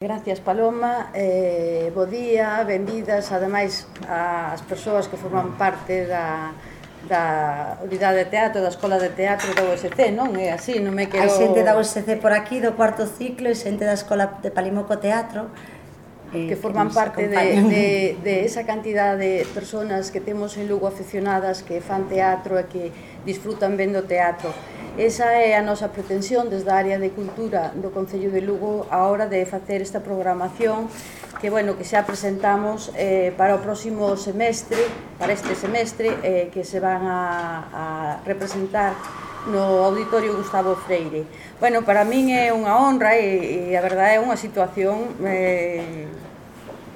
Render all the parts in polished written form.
Gracias, Paloma, bo día, benvidas, ademais, as persoas que forman parte da unidade de teatro, da Escola de Teatro da USC, non? É así, non me quero... Hai xente da USC por aquí, do cuarto ciclo, e xente da Escola de Palimoco Teatro, que forman parte de esa cantidad de personas que temos en Lugo aficionadas que fan teatro e que disfrutan vendo teatro. Esa é a nosa pretensión desde a área de cultura do Concello de Lugo a hora de facer esta programación que, bueno, que xa presentamos para o próximo semestre, para este semestre, que se van a representar no Auditorio Gustavo Freire. Bueno, para min é unha honra e a verdade é unha situación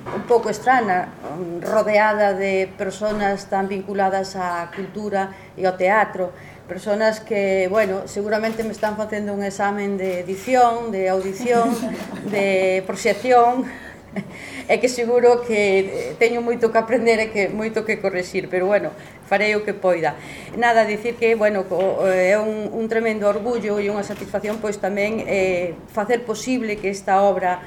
un pouco estrana, rodeada de personas tan vinculadas á cultura e ao teatro, personas que, bueno, seguramente me están facendo un examen de edición, de audición, de proxección, e que seguro que teño moito que aprender e que moito que correxir, pero, bueno, farei o que poida. Nada, dicir que, bueno, é un tremendo orgullo e unha satisfacción, pois tamén facer posible que esta obra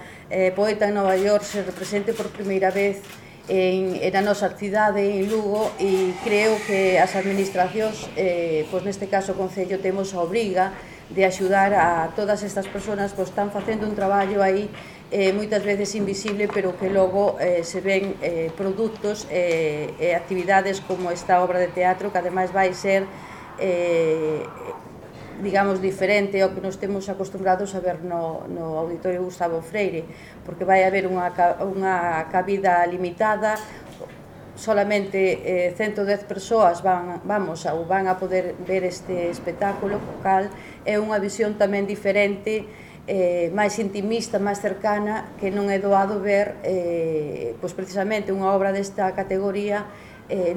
Poeta en Nova York se represente por primeira vez na nosa cidade, en Lugo, e creo que as administracións, pois neste caso o Concello, temos a obriga de axudar a todas estas persoas que están facendo un traballo aí moitas veces invisible, pero que logo se ven produtos e actividades como esta obra de teatro, que ademais vai ser digamos, diferente ao que nos temos acostumbrados a ver no Auditorio Gustavo Freire, porque vai haber unha cabida limitada, solamente 110 persoas van a poder ver este espectáculo, o cal é unha visión tamén diferente, máis intimista, máis cercana, que non é doado ver pois precisamente unha obra desta categoría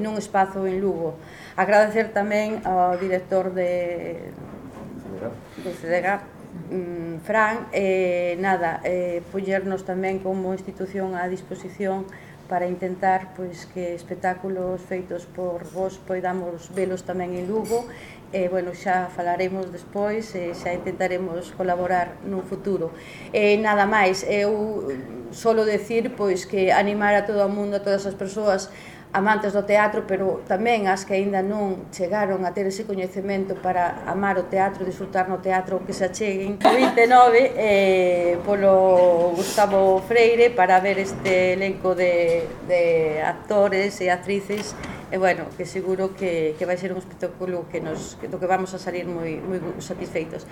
nun espazo en Lugo. Agradecer tamén ao director do CDG, Fran, poñernos tamén como institución á disposición para intentar pois que espectáculos feitos por vos poidamos velos tamén en Lugo. Bueno, xa falaremos despois e xa intentaremos colaborar nun futuro. Nada máis, eu solo decir pois que animar a todo o mundo, a todas as persoas amantes do teatro, pero tamén as que aínda non chegaron a ter ese coñecemento para amar o teatro, disfrutar no teatro, que se acheguen o 29 polo Gustavo Freire para ver este elenco de actores e actrices, e, bueno, que seguro que vai ser un espectáculo do que vamos a salir moi satisfeitos.